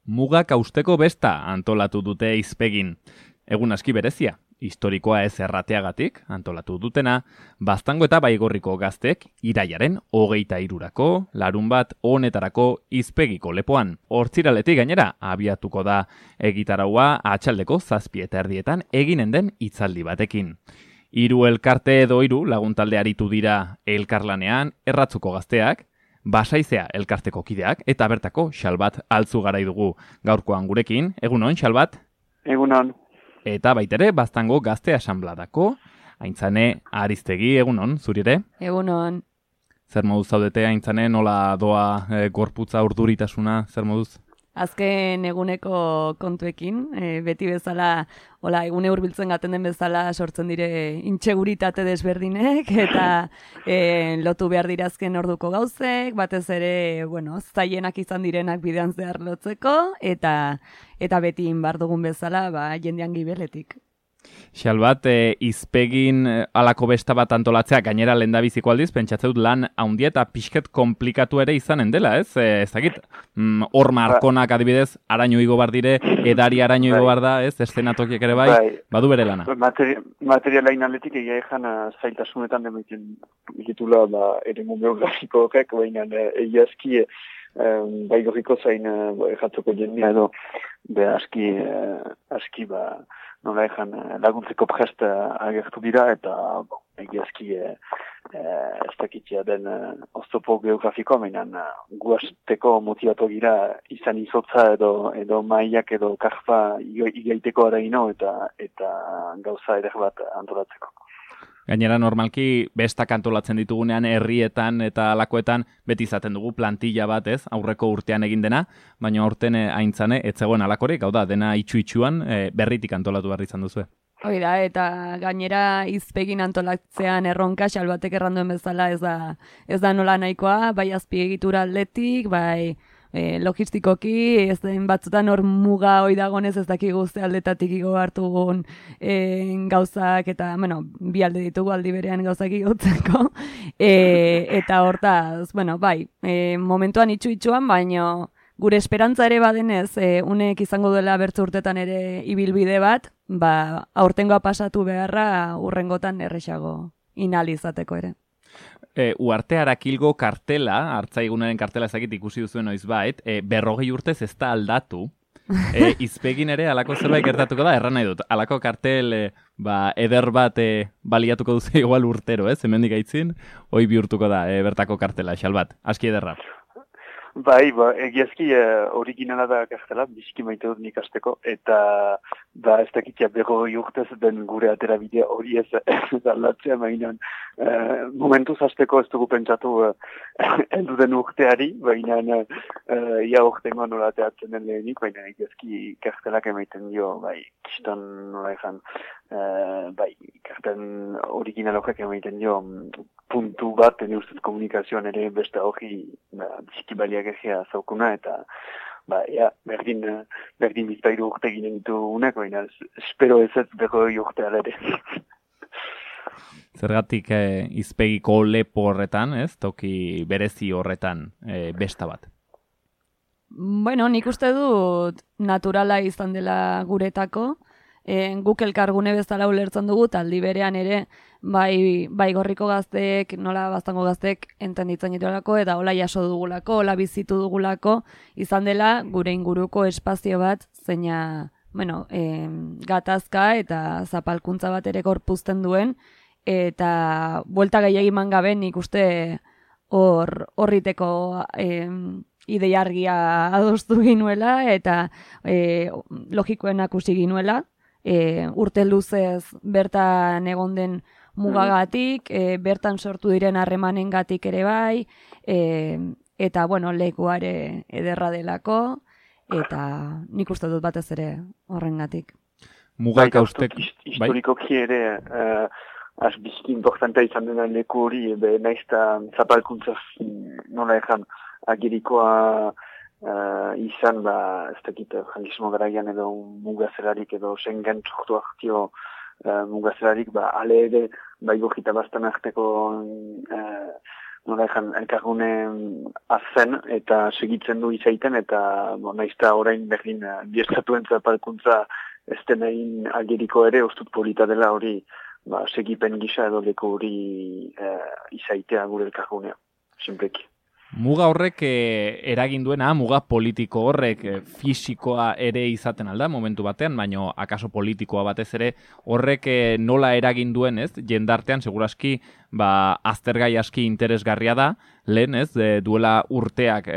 Mugak hausteko besta antolatu dute Izpegin. Egun aski berezia, historikoa ez errateagatik antolatu dutena, Baztango eta Baigorriko gaztek iraiaren 23rako, larunbat honetarako Izpegiko lepoan. Hortziraletik gainera abiatuko da egitaraua atxaldeko 7:30 eginen den hitzaldi batekin. 3 elkarte edo 3 laguntalde aritu dira elkarlanean, Erratzuko gazteak, Basaizea elkarteko kideak eta bertako Xalbat Altzugarai dugu gaurkoan gurekin. Egunon, Xalbat? Egunon. Eta baitere Baztango Gazte Asanbladako Aintzane Aristegi, egunon, zuri ere? Egunon. Zer moduz zaudete, Aintzane, nola doa gorputza urduritasuna, zer moduz? Azken eguneko kontuekin, beti bezala, egune hurbiltzen gaten den bezala sortzen dire intxeguritate desberdinek, eta lotu behar dirazken orduko gauzek, batez ere, zaienak izan direnak bidean zehar lotzeko, eta beti inbar dugun bezala, jendean gibeletik. Xalbat, Izpegin alako besta bat antolatzea, gainera lehendabiziko aldiz, pentsatzen dut lan handia eta pixket komplikatu ere izanen dela, ez? Ez dakit, hor markonak adibidez, araño igo bar dire, edari araño igo bar da, ez? Eszenatokiek ere bai, badu bere lana. Materialain aldetik egia ezan zailtasunetan demiten ditula eremu geografiko horrek, baina egiazki Baigorriko zain jatzoko jendea edo aski nola ezan laguntzeko prest agertu dira eta egiazki ez dakitzea den oztopo geografikoa, mainan guazteko motivatu gira izan izotza edo maiak edo karfa igaiteko araino eta gauza eder bat antolatzeko. Gainera, normalki, bestak antolatzen ditugunean, herrietan eta alakoetan, beti izaten dugu plantilla bat, ez? Aurreko urtean egin dena, baina aurten Aintzane, ez zegoen alakorik, hau da, dena itxu-itxuan berritik antolatu behar izan duzu. Hoi da, eta gainera Izpegin antolatzean erronka, Xalbatek erranduen bezala ez da nola nahikoa, bai azpiegitura aldetik, bai logistikoki, ez den batzutan hor muga hoi dagonez ez dakigu ze aldetatik igo hartugun gauzak, eta, bi alde ditugu aldi berean gauzak igotzeko, eta hortaz, bai, momentuan itxu-itxuan, baina gure esperantza ere badenez, unek izango dela bertzu urtetan ere ibilbide bat, aurtengoa pasatu beharra urrengotan erresago inalizateko ere. Uarte Arakilgo kartela, hartzaigunaren kartela ezakit ikusi duzuen noizbait, 40 urtez ez da aldatu. Izpegin ere alako zerbait gertatuko da, erran nahi dut. Alako kartel eder bat baliatuko duzu igual urtero, hemendik aitzin, hoi bihurtuko da bertako kartela, Xalbat, aski ederra. Bai, egiazki originala da kartela, biziki maite dut nik asteko, eta ez dakitzea 40 urtez den gure aterabidea hori ez aldatzea, mainan momentuz hasteko ez dugu pentsatu heldu den urteari, baina ia urtengo nola teatzen den lehenik, baina egiazki kartelak emaiten dio, kiston nola ezan, karten original horrek emaiten dio puntu bat, ene ustez komunikazioan ere beste hori biziki baliak egia zaukuna, eta berdin bizpairu urte ginen ditu unek, baina espero ez 40 urte alere. Zergatik Izpegiko lepo horretan, toki berezi horretan besta bat? Nik uste dut naturala izan dela guretako, guk elkargune bezala ulertzen dugu, taldi berean ere, Baigorriko gazteek, nola Baztango gazteek entenditzen ditulako, eta hola jaso dugulako, hola bizitu dugulako, izan dela gure inguruko espazio bat, zeina, gatazka eta zapalkuntza bat ere gorpuzten duen, eta buelta gehiagiman gabe nik uste horriteko idei argia adostu ginuela, eta logikoen akusi ginuela, urte luzez bertan egon den mugagatik, bertan sortu diren harremanengatik ere bai, eta lekuare ederra delako, eta nik uste dut batez ere horrengatik. Mugak haustek, historikoki ere biziki importantea izan dena leku hori, naizta zapalkuntza nola ezan agirikoa izan, ez dakit, frankismo garaian edo mugazelarik edo Schengen txortu hartio mugazelarik, ale ere Baigorri eta Baztan arteko nola ejan, elkargune azen eta segitzen du izaiten, eta naizta orain berdin biestatuen zapalkuntza ez den egin ageriko ere, ustut polita dela hori segipen gisa edo leko hori izaitea gure elkargunea, simpleki. Muga horrek eragin duena, muga politiko horrek fisikoa ere izaten alda momentu batean, baino akaso politikoa batez ere horrek nola eragin duen, ez? Jendartean segurazki aztergai aski interesgarria da, lehen, ez? Duela urteak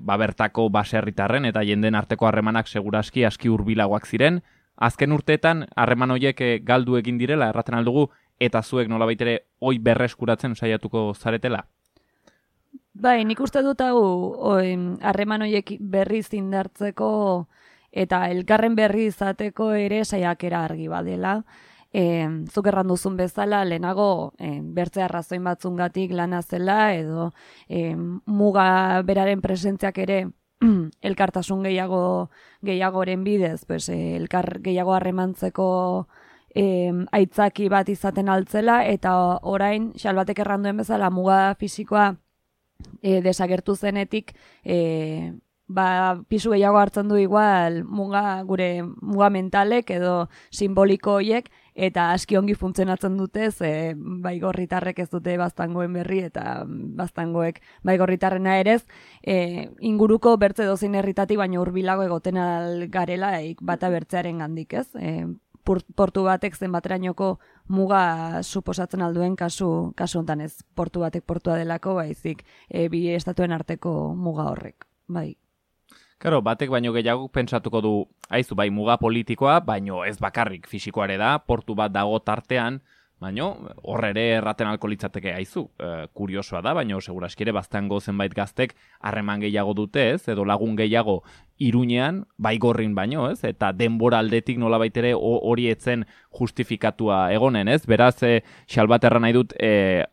bertako baserritarren eta jenden arteko harremanak segurazki aski hurbilagoak ziren. Azken urteetan harreman horiek galdu egin direla erraten aldugu, eta zuek nolabait ere hoi berreskuratzen saiatuko zaretela? Bai, nik uste dut hau harreman horiek berriz indartzeko eta elkarren berri izateko ere saiakera argi badela. Zuk erran duzun bezala, lehenago bertzea arrazoin batzungatik lana zela edo muga beraren presentziak ere elkartasun gehiagoren bidez, pues, elkar gehiago harremantzeko aitzaki bat izaten altzela, eta orain, xalbatek erran duen bezala, muga fisikoa desagertu zenetik, pisu gehiago hartzen du igual gure muga mentalek edo simboliko horiek, eta aski ongi funtzionatzen dute, baigorritarrek ez dute baztangoen berri, eta baztangoek baigorritarrena erez, inguruko bertze dozein herritatik baino hurbilago egoten garela bata bertzearen gandik, ez? Portu batek zenbaterainoko muga suposatzen alduen kasu hontan ez. Portu batek portua delako, baizik bi estatuen arteko muga horrek, bai. Karo, batek baino gehiago pentsatuko du, aizu, bai, muga politikoa, baino ez bakarrik fisikoare da, portu bat dago tartean, baino horre ere erraten alko litzateke aizu. Kuriosoa da, baino seguraski ere baztango zenbait gaztek harreman gehiago dute, ez, edo lagun gehiago Iruñean, baigorrin baino, ez, eta denbora aldetik nolabait ere hori etzen justifikatua egonen, ez, beraz, xalbat erran nahi dut,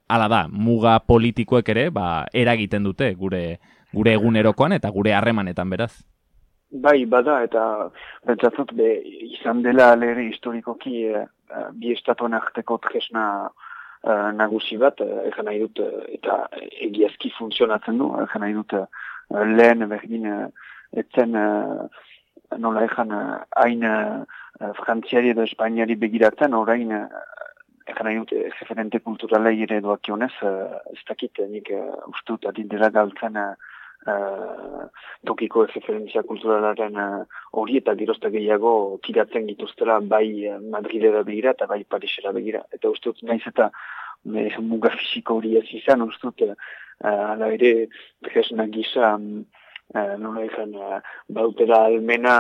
hala da, muga politikoek ere, eragiten dute gure egunerokoan eta gure harremanetan, beraz. Bai, bada, eta pentsatzot izan dela lehre historikoki bi estatuen arteko tresna nagusi bat, egan nahi dut, eta egiazki funtzionatzen du, egan nahi dut lehen berdin etzen nola egan hain frantziari edo espainiari begiratzen, orain egan nahi dut referente kulturalei ere doakionez, ez dakit nik ustut adindela galtzen tokiko referentzia kulturalaren hori eta gerozta gehiago tiratzen gituztela bai Madrilera begira eta bai Parisera begira. Eta uste dut naiz eta muga fisiko hori ez izan, uste dut ala ere tresna gisa nola ezan bautera almena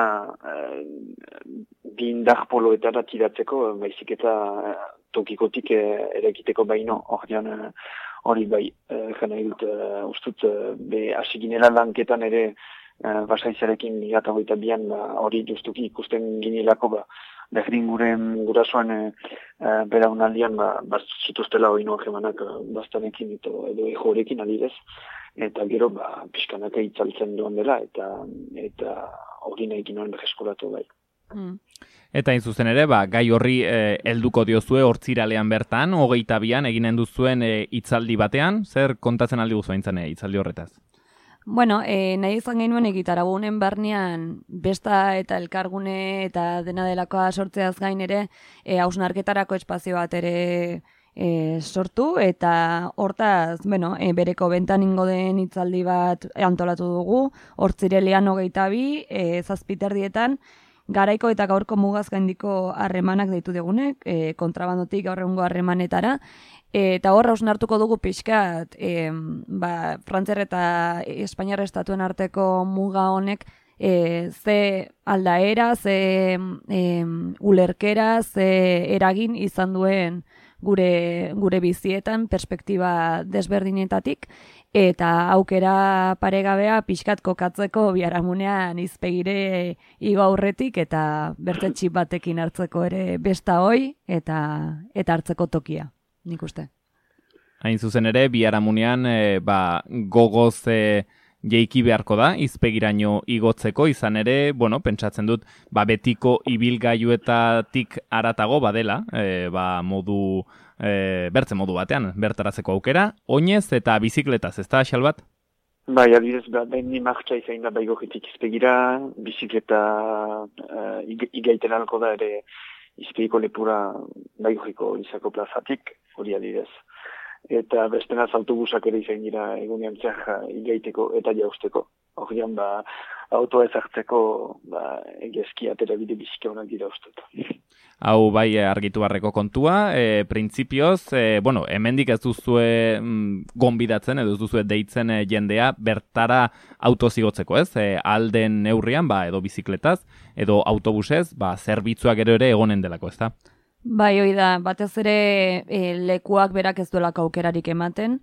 bi indar poloetara tiratzeko, baizik eta tokikotik erekiteko baino hori bai, jena dut, ustut, hasiginela lanketan ere basaizarekin 2022an hori justuki ikusten ginelako, berdin gurasoan belaunaldian zituztela hori noak emanak bastanekin edo ejorekin adidez, eta gero pixkanaka itzaltzen duen dela, eta hori nahi ginoen berreskolatu bai. Eta hain zuzen ere, gai horri helduko diozue hortziralean bertan, 22an eginen duzuen hitzaldi batean, zer kontatzen aldi guzu haintzane hitzaldi horretaz? Bueno, nahi izan genuen egitaragunen barnean besta eta elkargune eta dena delakoa sortzeaz gain ere hausnarketarako espazio bat ere sortu, eta hortaz, bereko bentan ingo den hitzaldi bat antolatu dugu, hortzirelean 22, 7:30, garaiko eta gaurko mugaz gaindiko harremanak deitu degunek, kontrabandotik gaur egungo harremanetara, eta horra hausnartuko dugu pixkat, Frantziar eta Espainiar estatuen arteko muga honek, ze aldaera, ze ulerkera, ze eragin izan duen gure bizietan, perspektiba desberdinetatik, eta aukera paregabea pixkat kokatzeko biharamunean izpegire igo aurretik, eta bertze txip batekin hartzeko ere besta hoi, eta hartzeko tokia, nik uste. Hain zuzen ere, biharamunean gogoz jeiki beharko da, izpegiraino igotzeko, izan ere, bueno, pentsatzen dut, betiko ibilgailuetatik haratago badela, modu, bertze modu batean, bertarazeko aukera, oinez eta bizikletaz, ez da, Xalbat? Bai, adibidez, behin martxa izain da baigorritik izpegira, bizikleta igaiten alko da ere izpegiko lepura baigorriko izako plazatik, hori adibidez. Eta bestenaz autobusak ere izain dira egunean zehar igaiteko eta jausteko. Horrean, autoa ezartzeko egezki atera bide bizike honak dira ustut. Hau bai argitu barreko kontua, printzipioz, hemendik ez duzue gonbidatzen, edo ez duzue deitzen jendea bertara autozigotzeko, ez? Alden neurrian, edo bizikletaz, edo autobusez, zerbitzuak ere egonen delako, ez da? Bai, hoi da, batez ere lekuak berak ez duelako aukerarik ematen,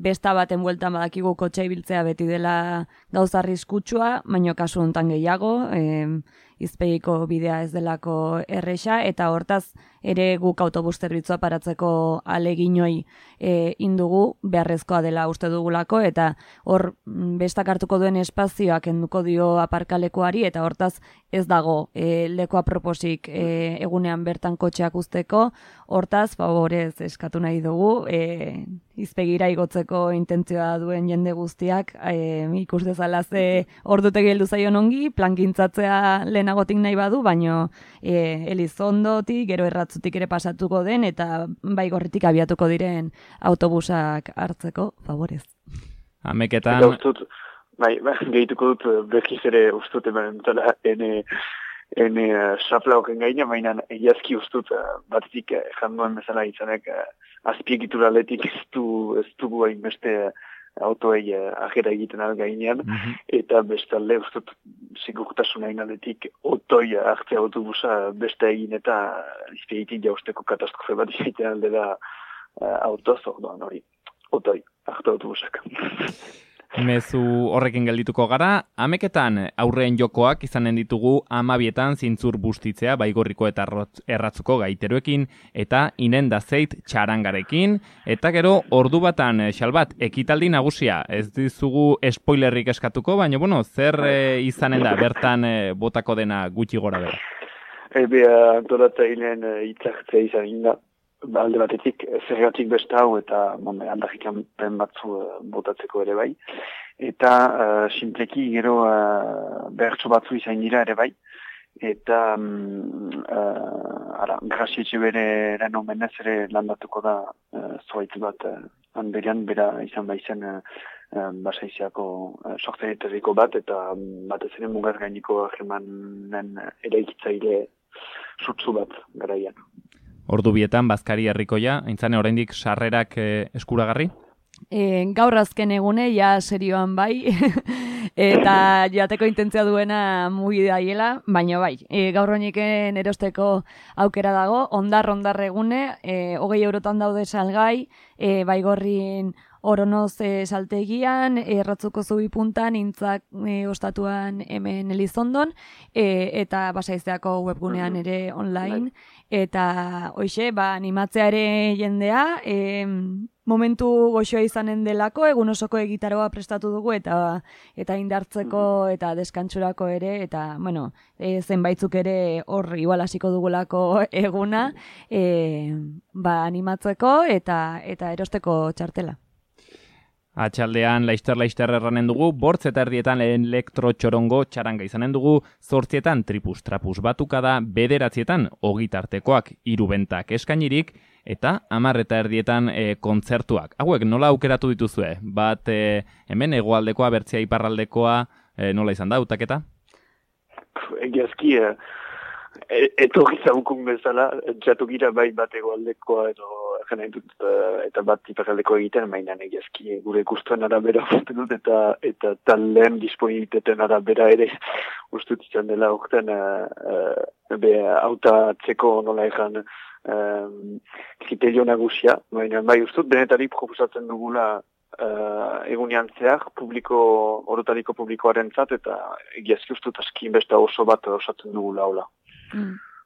besta baten bueltan badakigu kotxe ibiltzea beti dela gauza arriskutsua, baino kasu hontan gehiago, izpegiko bidea ez delako erresa, eta hortaz ere guk autobus zerbitzua paratzeko aleginoi indugu beharrezkoa dela uste dugulako, eta hor bestak hartuko duen espazioak kenduko dio aparkalekuari, eta hortaz ez dago leku aproposik egunean bertan kotxeak uzteko, hortaz favorez eskatu nahi dugu, izpegira igotzeko intentzioa duen jende guztiak, ikus dezala ze ordutegi heldu zaion ongi, plankintzatzea lehenagotik nahi badu, baino Elizondotik, gero Erratzutik ere pasatuko den, eta Baigorritik abiatuko diren autobusak hartzeko, favorez. Ameketan... Gehituko dut berkiz ere ustut emanentala ene xapla hoken gaina, baina egiazki ustut batetik janduen bezala izanek azpiegitura letik ez dugu hainbeste autoei ajera egiten algainean, eta bestalde ustut sigurtasun ainaletik otoi hartzea autobusa beste egin eta izpiegitik jausteko katastrofe bat izaiten aldera autoz, orduan hori, otoi, hartu autobusak. Mezu horrekin geldituko gara, ameketan aurreen jokoak izanen ditugu 12etan zintzur bustitzea Baigorriko eta Erratzuko gaiteroekin eta inenda zeit txarangarekin, eta gero ordu batan Xalbat ekitaldi nagusia, ez dizugu spoilerrik eskatuko, baina zer izanen da bertan botako dena gutxi gora bera? Antolatzaileen hitzartzea izan da. Alde batetik, zergatik besta hau eta aldarrikan pen batzu botatzeko ere bai. Eta simpleki gero behartso batzu izan dira ere bai. Eta Grasietxe bere eren omenez ere landatuko da zoaitz bat hanberian bera izan baizen basaiziako sortzaietariko bat eta batez ere mugaz gainiko agemanen eraikitzaile sutsu bat garaian. Ordu bietan, Bazkari herrikoia, aintzane oraindik sarrerak eskuragarri? Gaur azken egune, ja serioan bai, eta joateko intentzia duena mugi daiela, baina bai, gaur honiken erosteko aukera dago, ondar egune, 20 eurotan daude salgai, Baigorrin Oronoz saltegian, Erratzuko zubi puntan, Intzak ostatuan hemen Elizondon, eta Basaizeako webgunean ere online, eta hoxe, animatzea ere jendea, momentu goxoa izanen delako, egun osoko egitaroa prestatu dugu, eta indartzeko eta deskantsurako ere, eta, zenbaitzuk ere hor igual hasiko dugulako eguna, animatzeko eta erosteko txartela. Atxaldean laizter erranen dugu, 8:00 elektrotxorongo txaranga izanen dugu, 8:00 tripus-trapus batukada, 9:00 ogitartekoak 3 bentak eskainirik, eta 10:30 kontzertuak. Hauek nola aukeratu dituzue? Bat hemen hegoaldekoa, bertzea iparraldekoa, nola izan da, hautaketa? Egiazki, etorri zaukun bezala, txatugira bai bat egoaldekoa edo eta bat iparraldekoa egiten, mainan egiazki gure guztuen arabera uste dut eta talen disponibilitateen arabera ere uste dut izan dela urten hautatzeko nola egan kriterio nagusia, baina bai uste dut denetarik proposatzen dugula egunean zehar orotariko publikoaren zat eta egiazki uste dut askin besta oso bat osatzen dugula hola.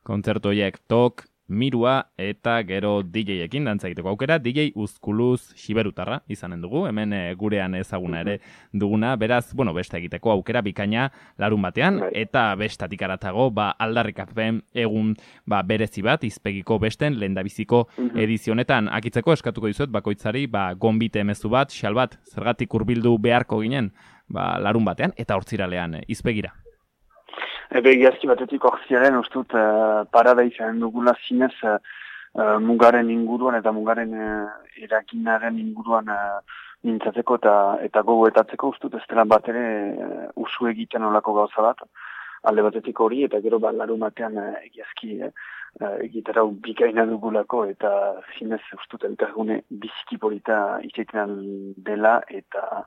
Kontzertu horiek, TOK, Mirua eta gero DJ-ekin dantza egiteko aukera, DJ Uzkuluz Xiberutarra izanen dugu, hemen gurean ezaguna ere duguna, beraz, beste egiteko aukera bikaina larun batean, eta bestatik aratago, aldarrikapen egun berezi bat, izpegiko besten lehendabiziko edizionetan akitzeko eskatuko dizuet, bakoitzari, gonbite emezu bat, xal bat, zergatik hurbildu beharko ginen, larun batean, eta hortziralean izpegira. Egiazki batetik orziaren ustut parada izan dugula zinez mugaren inguruan eta mugaren eraginaren inguruan mintzatzeko eta gogoetatzeko ustut ez dela bat ere usu egiten olako gauza bat. Alde batetik hori eta gero larun batean egiazki egitara bikaina dugulako eta zinez ustut elkargune biziki polita izaiten dela eta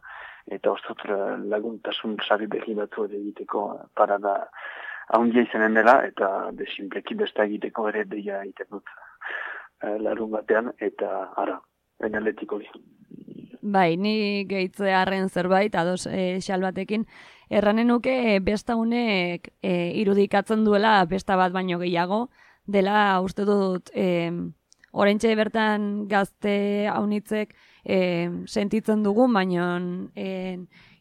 ustut laguntasun sari berri batzu egiteko parada haundia izanen dela, eta desinpleki besta egiteko ere deia egiten dut larun batean, eta ara, enaletik hori. Bai, ni gehitzearen zerbait, ados xal batekin, erranen nuke besta honek irudikatzen duela besta bat baino gehiago, dela uste dut oraintxe bertan gazte haunitzek sentitzen dugu, baino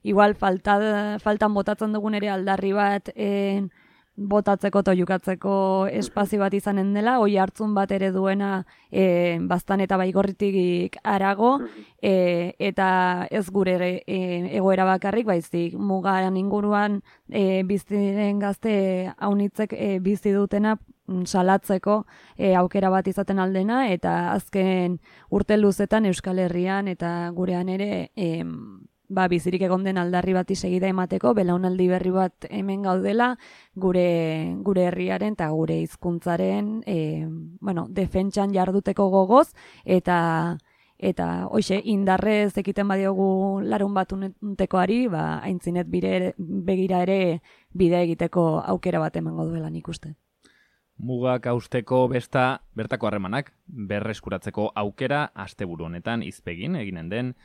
igual faltan botatzen dugun ere aldarri bat botatzeko eta oiukatzeko espazio bat izanen dela, oi hartzun bat ere duena Baztan eta Baigorritik harago, eta ez gure egoera bakarrik, baizik mugaren inguruan biziren gazte haunitzek bizi dutena salatzeko aukera bat izaten aldena, eta azken urte luzetan Euskal Herrian eta gurean ere bizirik egon den aldarri bati segida emateko, belaunaldi berri bat hemen gaudela, gure herriaren eta gure hizkuntzaren defentsan jarduteko gogoz, eta hoxe indarrez ekiten badiogu larun batuntekoari, aintzinet begira ere bide egiteko aukera bat emango duela nik uste. Mugak hausteko besta bertako harremanak berreskuratzeko aukera asteburu honetan izpegin eginen den,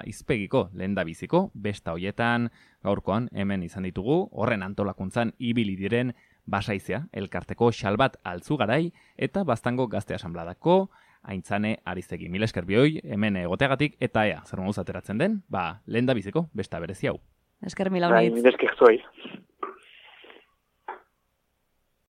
izpegiko lehendabiziko besta hoietan gaurkoan hemen izan ditugu, horren antolakuntzan ibili diren Basaizea elkarteko Xalbat Altzugarai eta Baztango Gazte Asanbladako Aintzane Arizegi. Mil esker bioi hemen egoteagatik eta zer moduz ateratzen den, lehendabiziko besta berezi hau. Esker mila honitz. Mil esker zuei.